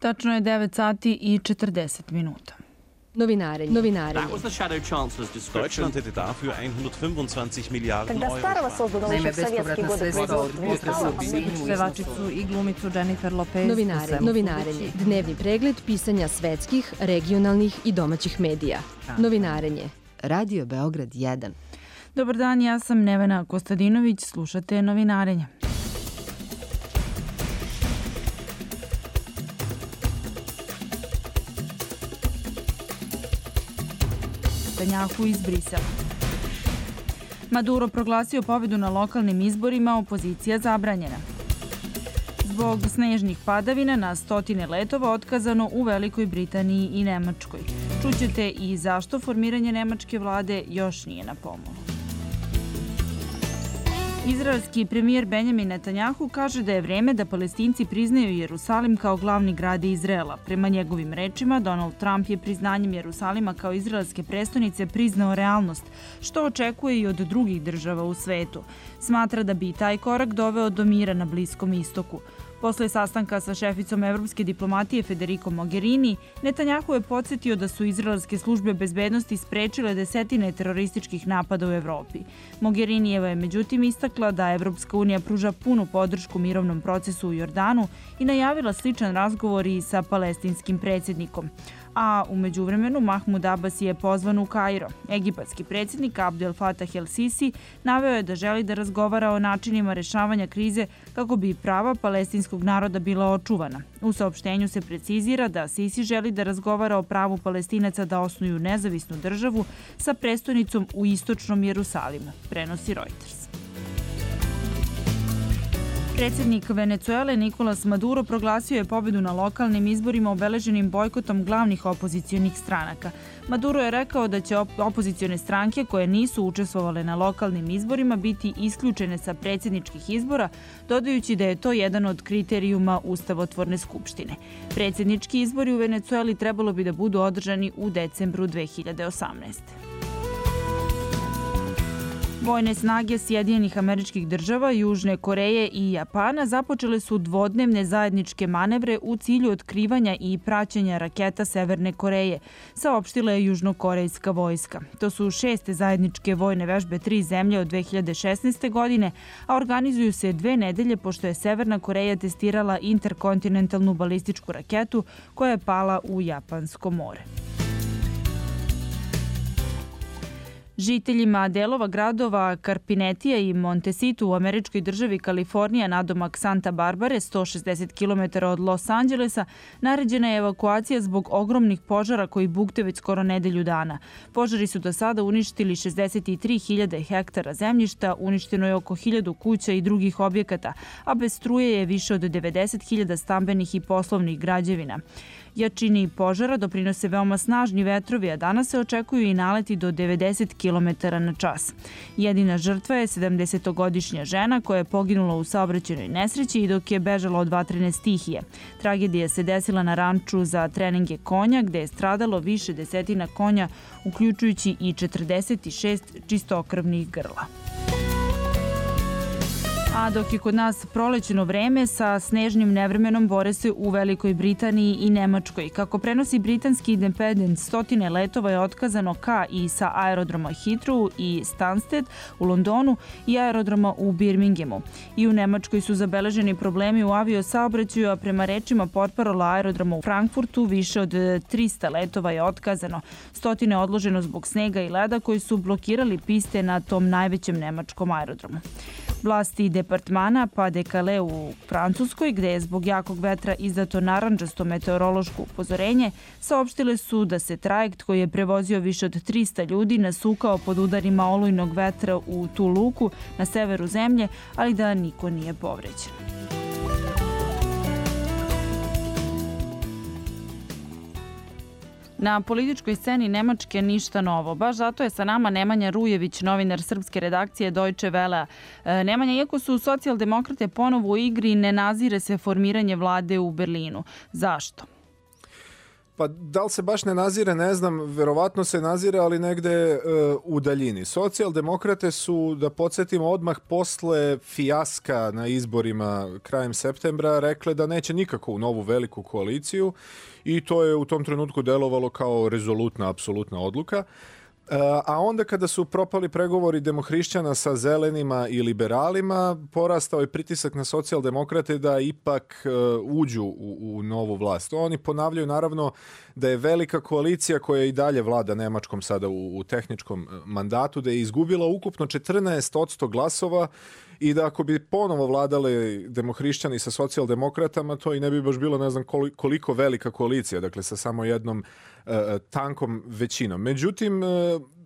Tačno je 9 sati i 40 minuta. Novinarenje. Deutschland hätte dafür 125 Miliarden Euro. Naime, bespovratna sredstva od Pevačicu i glumicu Jennifer Lopez. Novinarenje. Dnevni pregled pisanja svetskih, regionalnih i domaćih medija. Novinarenje. Radio Beograd 1. Dobar dan, ja sam Nevena Kostadinović, slušate Novinarenje. Netanjahu iz Brisela. Maduro proglasio pobedu na lokalnim izborima, opozicija zabranjena. Zbog snežnih padavina na stotine letova otkazano u Velikoj Britaniji i Nemačkoj. Čućete i zašto formiranje nemačke vlade još nije na pomolu. Izraelski premijer Benjamin Netanjahu kaže da je vreme da Palestinci priznaju Jerusalim kao glavni grad Izraela. Prema njegovim rečima, Donald Trump je priznanjem Jerusalima kao izraelske prestonice priznao realnost, što očekuje i od drugih država u svetu. Smatra da bi taj korak doveo do mira na Bliskom istoku. Posle sastanka sa šeficom evropske diplomatije Federico Mogherini, Netanjahu je podsjetio da su izraelske službe bezbednosti sprečile desetine terorističkih napada u Evropi. Mogherinijeva je međutim istakla da Evropska unija pruža punu podršku mirovnom procesu u Jordanu i najavila sličan razgovor i sa palestinskim predsjednikom. A u međuvremenu Mahmud Abbas je pozvan u Kairo. Egipatski predsjednik Abdel Fattah el-Sisi naveo je da želi da razgovara o načinima rešavanja krize kako bi prava palestinskog naroda bila očuvana. U saopštenju se precizira da Sisi želi da razgovara o pravu Palestinaca da osnuju nezavisnu državu sa prestonicom u istočnom Jerusalimu, prenosi Reuters. Predsjednik Venecuele Nicolas Maduro proglasio je pobedu na lokalnim izborima obeleženim bojkotom glavnih opozicionih stranaka. Maduro je rekao da će opozicione stranke koje nisu učestvovale na lokalnim izborima biti isključene sa predsjedničkih izbora, dodajući da je to jedan od kriterijuma Ustavotvorne skupštine. Predsjednički izbori u Venecueli trebalo bi da budu održani u decembru 2018. Vojne snage Sjedinjenih Američkih Država, Južne Koreje i Japana započele su dvodnevne zajedničke manevre u cilju otkrivanja i praćenja raketa Severne Koreje, saopštila je južnokorejska vojska. To su 6. zajedničke vojne vežbe 3 zemlje od 2016. godine, a organizuju se 2 nedelje pošto je Severna Koreja testirala interkontinentalnu balističku raketu koja je pala u Japansko more. Žiteljima delova gradova Karpinetija i Montecito u američkoj državi Kalifornija nadomak Santa Barbare, 160 km od Los Angelesa, naređena je evakuacija zbog ogromnih požara koji bukte već skoro nedelju dana. Požari su do sada uništili 63.000 hektara zemljišta, uništeno je oko 1.000 kuća i drugih objekata, a bez struje je više od 90.000 stambenih i poslovnih građevina. Jačini požara doprinose veoma snažni vetrovi, a danas se očekuju i naleti do 90 km na čas. Jedina žrtva je 70-godišnja žena koja je poginula u saobraćajnoj nesreći i dok je bežala od vatrene stihije. Tragedija se desila na ranču za treninge konja, gde je stradalo više desetina konja, uključujući i 46 čistokrvnih grla. A dok je kod nas prolećno vreme, sa snežnim nevremenom bore se u Velikoj Britaniji i Nemačkoj. Kako prenosi britanski Independent, stotine letova je otkazano ka i sa aerodroma Heathrow i Stansted u Londonu i aerodroma u Birminghamu. I u Nemačkoj su zabeleženi problemi u aviosaobraćaju, a prema rečima portparola aerodroma u Frankfurtu više od 300 letova je otkazano. Stotine odloženo zbog snega i leda koji su blokirali piste na tom najvećem nemačkom aerodromu. Vlasti departmana Pas-de-Calais u Francuskoj, gde je zbog jakog vetra izdato narandžasto meteorološko upozorenje, saopštile su da se trajekt koji je prevozio više od 300 ljudi nasukao pod udarima olujnog vetra u tu luku na severu zemlje, ali da niko nije povređen. Na političkoj sceni Nemačke ništa novo. Baš zato je sa nama Nemanja Rujević, novinar srpske redakcije Deutsche Welle. Nemanja, iako su socijaldemokrate ponovo u igri, ne nazire se formiranje vlade u Berlinu. Zašto? Pa da li se baš ne nazire, ne znam, verovatno se nazire, ali negde u daljini. Socijaldemokrate su, da podsjetimo, odmah posle fijaska na izborima krajem septembra rekle da neće nikako u novu veliku koaliciju i to je u tom trenutku delovalo kao rezolutna, apsolutna odluka. A onda kada su propali pregovori demohrišćana sa zelenima i liberalima, porastao je pritisak na socijaldemokrate da ipak uđu u novu vlast. Oni ponavljaju naravno da je velika koalicija koja i dalje vlada Nemačkom sada u tehničkom mandatu, da je izgubila ukupno 14% glasova i da ako bi ponovo vladali demohrišćani sa socijaldemokratama, to i ne bi baš bilo ne znam koliko velika koalicija, dakle sa samo jednom tankom većinom. Međutim,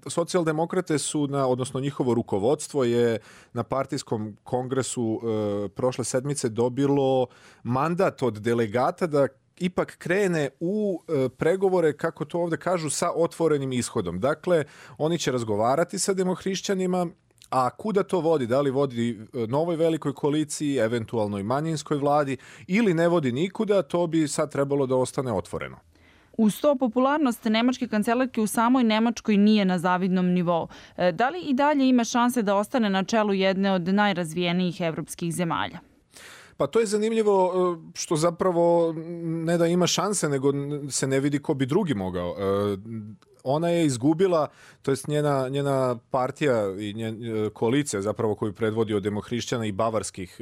socijaldemokrate su, odnosno njihovo rukovodstvo je na partijskom kongresu prošle sedmice dobilo mandat od delegata da ipak krene u pregovore, kako to ovde kažu, sa otvorenim ishodom. Dakle, oni će razgovarati sa demohrišćanima, a kuda to vodi? Da li vodi novoj velikoj koaliciji, eventualnoj manjinskoj vladi ili ne vodi nikuda, to bi sad trebalo da ostane otvoreno. Uz to, popularnost nemačke kancelarke u samoj Nemačkoj nije na zavidnom nivou. Da li i dalje ima šanse da ostane na čelu jedne od najrazvijenijih evropskih zemalja? Pa to je zanimljivo što zapravo ne da ima šanse, nego se ne vidi ko bi drugi mogao. Ona je izgubila, to jest njena partija i koalicija zapravo koju predvodio demohrišćana i bavarskih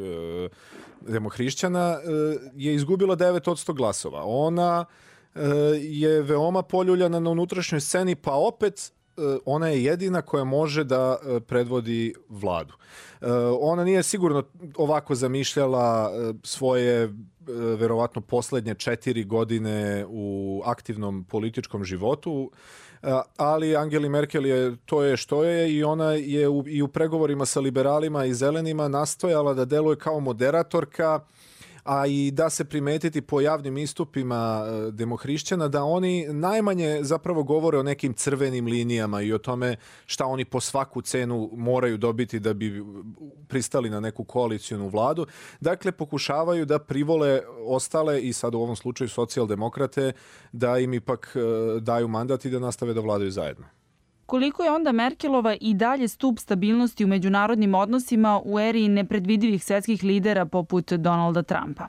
demohrišćana je izgubila 9% glasova. Ona je veoma poljuljana na unutrašnjoj sceni, pa opet ona je jedina koja može da predvodi vladu. Ona nije sigurno ovako zamišljala svoje verovatno poslednje 4 godine u aktivnom političkom životu, ali Angeli Merkel je to je što je i ona je i u pregovorima sa liberalima i zelenima nastojala da deluje kao moderatorka, a i da se primetiti po javnim istupima demohrišćana da oni najmanje zapravo govore o nekim crvenim linijama i o tome šta oni po svaku cenu moraju dobiti da bi pristali na neku koalicijonu vladu. Dakle, pokušavaju da privole ostale i sad u ovom slučaju socijaldemokrate da im ipak daju mandat i da nastave da vladaju zajedno. Koliko je onda Merkelova i dalje stup stabilnosti u međunarodnim odnosima u eri nepredvidivih svetskih lidera poput Donalda Trumpa?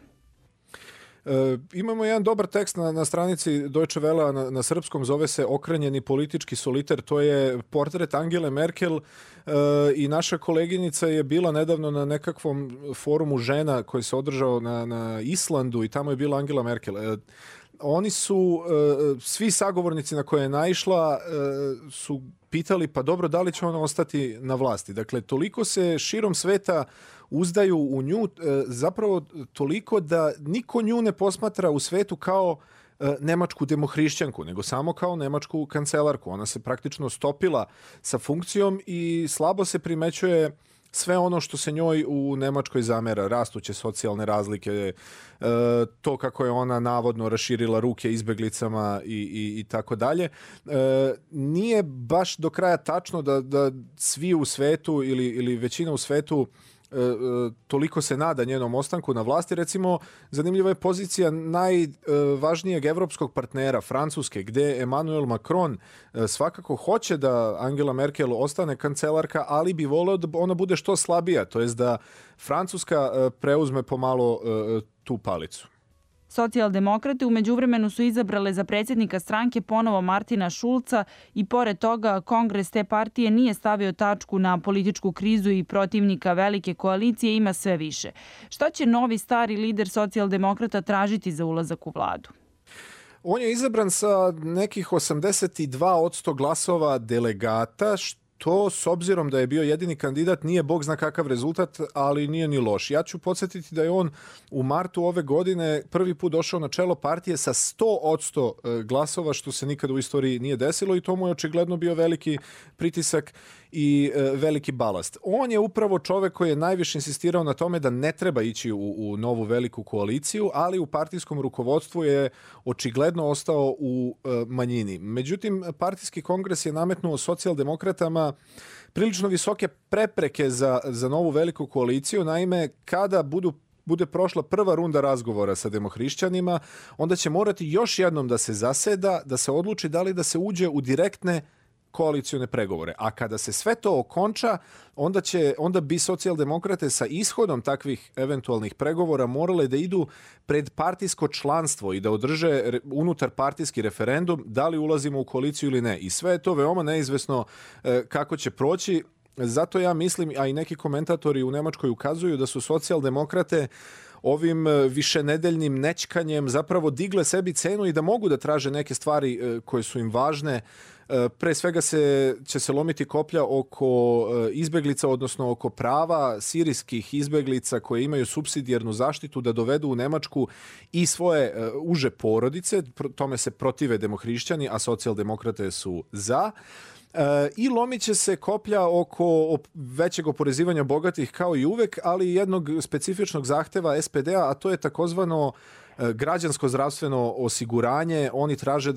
Imamo jedan dobar tekst na stranici Deutsche Welle na srpskom, zove se Okrenjeni politički soliter, to je portret Angele Merkel i naša koleginica je bila nedavno na nekakvom forumu žena koji se održao na Islandu i tamo je bila Angela Merkel. Oni su, svi sagovornici na koje je naišla su pitali pa dobro, da li će ona ostati na vlasti. Dakle, toliko se širom sveta uzdaju u nju, zapravo toliko da niko nju ne posmatra u svetu kao nemačku demohrišćanku, nego samo kao nemačku kancelarku. Ona se praktično stopila sa funkcijom i slabo se primećuje sve ono što se njoj u Nemačkoj zamera, rastuće socijalne razlike, to kako je ona navodno raširila ruke izbeglicama i tako dalje. Nije baš do kraja tačno da svi u svetu ili većina u svetu toliko se nada njenom ostanku na vlasti. Recimo, zanimljiva je pozicija najvažnijeg evropskog partnera, Francuske, gde Emmanuel Macron svakako hoće da Angela Merkel ostane kancelarka, ali bi voleo da ona bude što slabija, to jest da Francuska preuzme pomalo tu palicu. Socijaldemokrate u međuvremenu su izabrale za predsjednika stranke ponovo Martina Schulza i pored toga kongres te partije nije stavio tačku na političku krizu i protivnika velike koalicije ima sve više. Šta će novi stari lider socijaldemokrata tražiti za ulazak u vladu? On je izabran sa nekih 82% glasova delegata, to, s obzirom da je bio jedini kandidat, nije bog zna kakav rezultat, ali nije ni loš. Ja ću podsjetiti da je on u martu ove godine prvi put došao na čelo partije sa 100% glasova, što se nikada u istoriji nije desilo i to mu je očigledno bio veliki pritisak i veliki balast. On je upravo čovek koji je najviše insistirao na tome da ne treba ići u novu veliku koaliciju, ali u partijskom rukovodstvu je očigledno ostao u manjini. Međutim, partijski kongres je nametnuo socijaldemokratama prilično visoke prepreke za novu veliku koaliciju. Naime, kada budu bude prošla prva runda razgovora sa demohrišćanima, onda će morati još jednom da se zaseda, da se odluči da li da se uđe u direktne koalicione pregovore. A kada se sve to okonča, onda bi socijaldemokrate sa ishodom takvih eventualnih pregovora morale da idu pred partijsko članstvo i da održe unutar partijski referendum da li ulazimo u koaliciju ili ne. I sve je to veoma neizvesno kako će proći. Zato ja mislim, a i neki komentatori u Nemačkoj ukazuju da su socijaldemokrate ovim višenedeljnim nećkanjem zapravo digle sebi cenu i da mogu da traže neke stvari koje su im važne. Pre svega će se lomiti koplja oko izbeglica, odnosno oko prava sirijskih izbeglica koje imaju supsidijarnu zaštitu da dovedu u Nemačku i svoje uže porodice. Tome se protive demohrišćani, a socijaldemokrate su za. I lomit će se koplja oko većeg oporezivanja bogatih kao i uvek, ali i jednog specifičnog zahteva SPD-a, a to je takozvano građansko zdravstveno osiguranje. Oni traže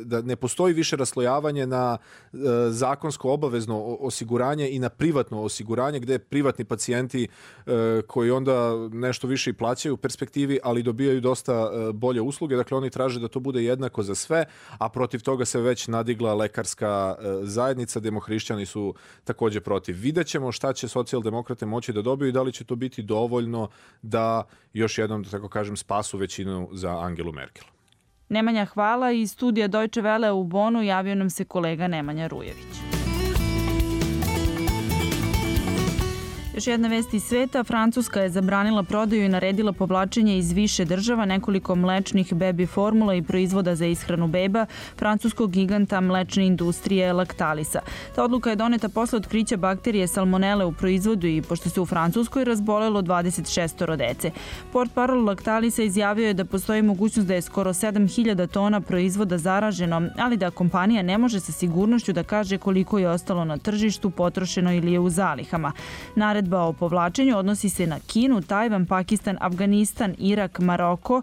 da ne postoji više raslojavanje na zakonsko obavezno osiguranje i na privatno osiguranje, gde privatni pacijenti koji onda nešto više i plaćaju u perspektivi, ali dobijaju dosta bolje usluge. Dakle, oni traže da to bude jednako za sve, a protiv toga se već nadigla lekarska zajednica. Demohrišćani su takođe protiv. Vidjet ćemo šta će socijaldemokrate moći da dobiju i da li će to biti dovoljno da još jednom, da tako kažem, spasu većinu za Angelu Merkel. Nemanja, hvala. Iz studija Deutsche Welle u Bonu javio nam se kolega Nemanja Rujević. Još jedna vest iz sveta. Francuska je zabranila prodaju i naredila povlačenje iz više država nekoliko mlečnih bebi formula i proizvoda za ishranu beba francuskog giganta mlečne industrije Lactalisa. Ta odluka je doneta posle otkrića bakterije salmonele u proizvodu i pošto se u Francuskoj razbolelo 26 dece. Portparol Lactalisa izjavio je da postoji mogućnost da je skoro 7000 tona proizvoda zaraženo, ali da kompanija ne može sa sigurnošću da kaže koliko je ostalo na tržištu, potrošeno ili je u zalihama. Naredba o povlačenju odnosi se na Kinu, Tajvan, Pakistan, Afganistan, Irak, Maroko,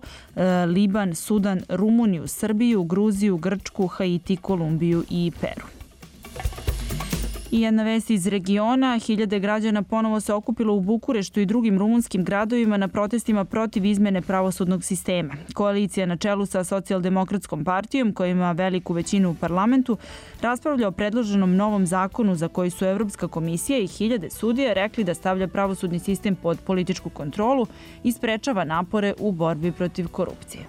Liban, Sudan, Rumuniju, Srbiju, Gruziju, Grčku, Haiti, Kolumbiju i Peru. I jedna vest iz regiona. Hiljade građana ponovo se okupilo u Bukureštu i drugim rumunskim gradovima na protestima protiv izmene pravosudnog sistema. Koalicija na čelu sa Socijaldemokratskom partijom, koja ima veliku većinu u parlamentu, raspravlja o predloženom novom zakonu za koji su Evropska komisija i hiljade sudija rekli da stavlja pravosudni sistem pod političku kontrolu i sprečava napore u borbi protiv korupcije.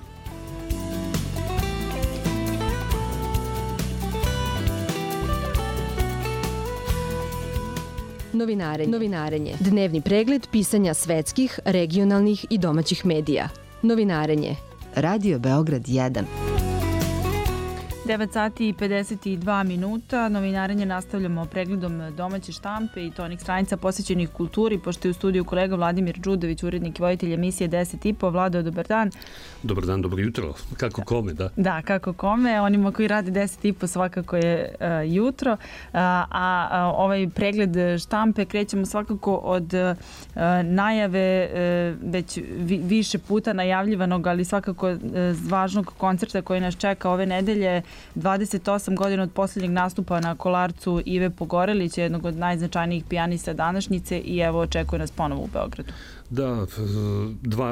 Novinarenje. Dnevni pregled pisanja svetskih, regionalnih i domaćih medija. Novinarenje. Radio Beograd 1. 9 sati i 52 minuta. Novinarenje nastavljamo pregledom domaće štampe i tonik stranica posvećenih kulturi, pošto je u studiju kolega Vladimir Đudović, urednik i voditelj emisije 10.5. Vlado, dobar dan. Dobar dan, dobro jutro. Kako kome, da? Da, kako kome. Onima koji rade 10.5 svakako je jutro. A ovaj pregled štampe krećemo svakako od najave već više puta najavljivanog, ali svakako važnog koncerta koji nas čeka ove nedelje. 28 godina od posljednjeg nastupa na Kolarcu Ive Pogorelića, jednog od najznačajnijih pijanista današnjice, i evo očekuje nas ponovo u Beogradu. Da,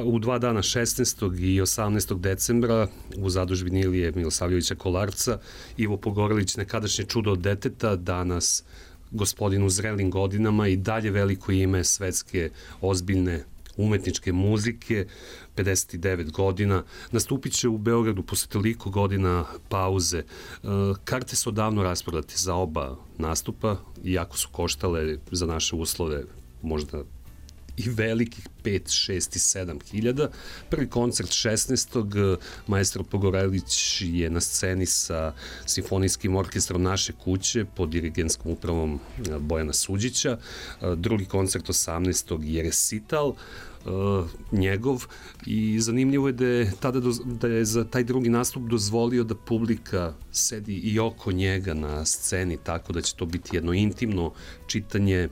u 2 dana 16. i 18. decembra u zadužbini Ilije Milosavljevića Kolarca Ivo Pogorelić, nekadašnje čudo od deteta, danas gospodin u zrelim godinama i dalje veliko ime svetske ozbiljne umetničke muzike, 59 godina, nastupit će u Beogradu posle toliko godina pauze. Karte su odavno rasprodate za oba nastupa, iako su koštale za naše uslove možda i velikih 5, 6 i 7 hiljada. Prvi koncert 16. Maestro Pogorelić je na sceni sa simfonijskim orkestrom Naše kuće pod dirigenskom upravom Bojana Suđića. Drugi koncert 18. je recital njegov i zanimljivo je da je za taj drugi nastup dozvolio da publika sedi i oko njega na sceni, tako da će to biti jedno intimno čitanje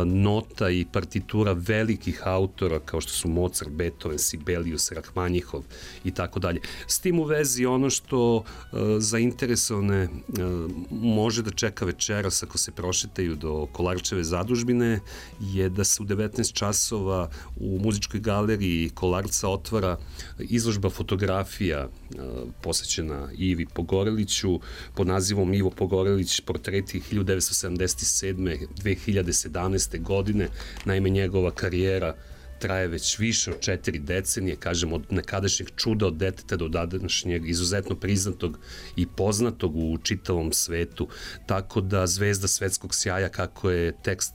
nota i partitura velikih autora kompozitora kao što su Mozart, Beethoven, Sibelius, Rahmanjihov i tako dalje. S tim u vezi ono što zainteresovane može da čeka večeras ako se prošetaju do Kolarčeve zadužbine je da se u 19 časova u muzičkoj galeriji Kolarca otvara izložba fotografija posvećena Ivi Pogoreliću pod nazivom Ivo Pogorelić, portreti 1977. 2017. godine. Naime, njegova karijera traje već više od 4 decenije, kažem, od nekadašnjeg čuda od deteta do današnjeg izuzetno priznatog i poznatog u čitavom svetu. Tako da zvezda svetskog sjaja, kako je tekst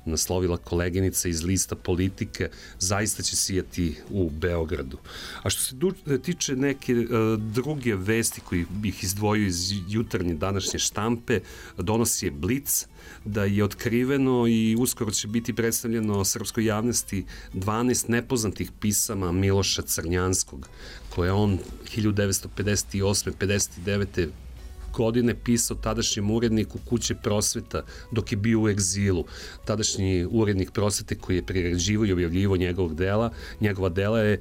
naslovila koleginica iz lista Politike, zaista će sijati u Beogradu. A što se tiče neke druge vesti koji bih izdvojio iz jutarnje današnje štampe, donosi je Blic, da je otkriveno i uskoro će biti predstavljeno srpskoj javnosti 12 nepoznatih pisama Miloša Crnjanskog, koje on 1958-59. godine pisao tadašnjem uredniku Kuće prosveta dok je bio u egzilu. Tadašnji urednik Prosvete koji je priređivao i objavljivao njegova dela je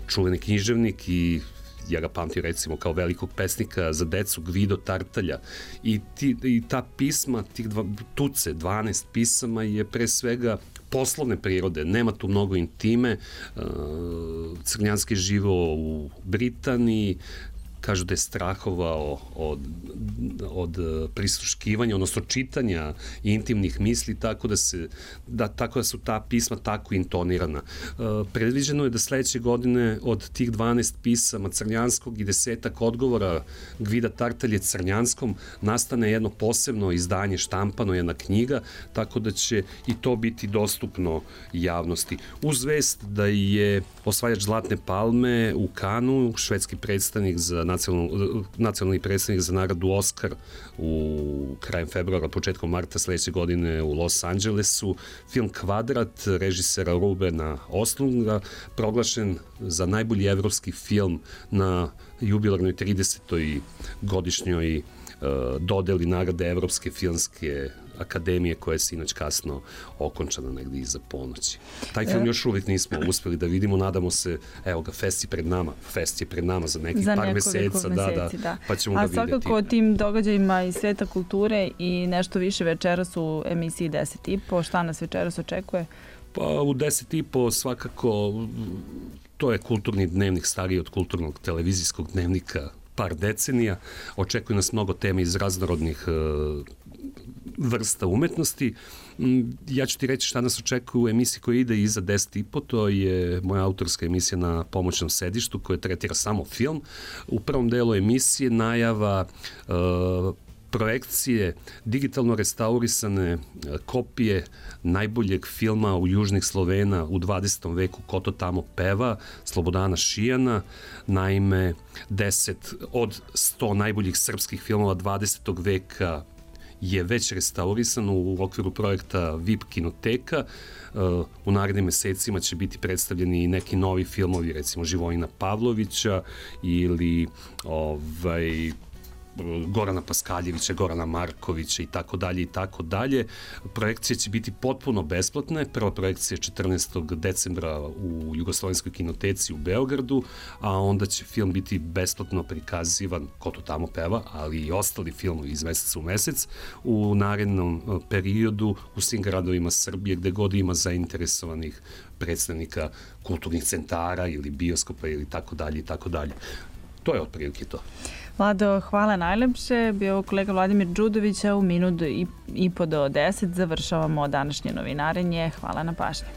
čuveni književnik i ja ga pamtim recimo kao velikog pesnika za decu Gvido Tartalja i ta pisma, tih 12 pisama je pre svega poslovne prirode, nema tu mnogo intime. Crnjanski je živao u Britaniji, kažu da je strahovao od prisluškivanja, odnosno čitanja intimnih misli, tako da su ta pisma tako intonirana. Predviđeno je da sledeće godine od tih 12 pisama Crnjanskog i 10 odgovora Gvida Tartalje Crnjanskom nastane jedno posebno izdanje, štampano, jedna knjiga, tako da će i to biti dostupno javnosti. Uz vest da je osvajač Zlatne palme u Kanu, švedski predstavnik za nacionalni predstavnik za nagradu Oskar u krajem februara, početkom marta sledeće godine u Los Angelesu. Film Kvadrat režisera Rubena Östlunda proglašen za najbolji evropski film na jubilarnoj 30. godišnjoj dodeli nagrade Evropske filmske akademije koja je sinoć kasno okončana negdje iza ponoći. Taj film još uvijek nismo uspeli da vidimo, nadamo se, evo ga, fest je pred nama za nekih par meseca, da, pa ćemo ga vidjeti. A svakako o tim događajima iz sveta kulture i nešto više večeras u emisiji 10.5, šta nas večeras očekuje? Pa u 10.5 svakako to je kulturni dnevnik stariji od kulturnog televizijskog dnevnika par decenija. Očekuje nas mnogo tema iz raznorodnih vrsta umetnosti. Ja ću ti reći šta nas očekuje u emisiji koja ide iza 10.5, to je moja autorska emisija na pomoćnom sedištu koja tretira samo film. U prvom delu emisije najava projekcije digitalno restaurisane kopije najboljeg filma u južnih Slovena u 20. veku Ko to tamo peva, Slobodana Šijana. Naime, 10 od 100 najboljih srpskih filmova 20. veka je već restaurisan u okviru projekta VIP kinoteka. U narednim mesecima će biti predstavljeni i neki novi filmovi, recimo Živojina Pavlovića ili Gorana Paskaljevića, Gorana Markovića i tako dalje i tako dalje. Projekcije će biti potpuno besplatne. Prva projekcija je 14. decembra u Jugoslovenskoj kinoteci u Beogradu, a onda će film biti besplatno prikazivan, Ko to tamo peva, ali i ostali filmovi iz meseca u mesec u narednom periodu u svim gradovima Srbije gde god ima zainteresovanih predstavnika kulturnih centara ili bioskopa ili tako dalje i tako dalje. To je otprilike to. Vlado, hvala najlepše. Bio kolega Vladimir Đudović, a u minut i po do 10 završavamo današnje novinarenje. Hvala na pažnji.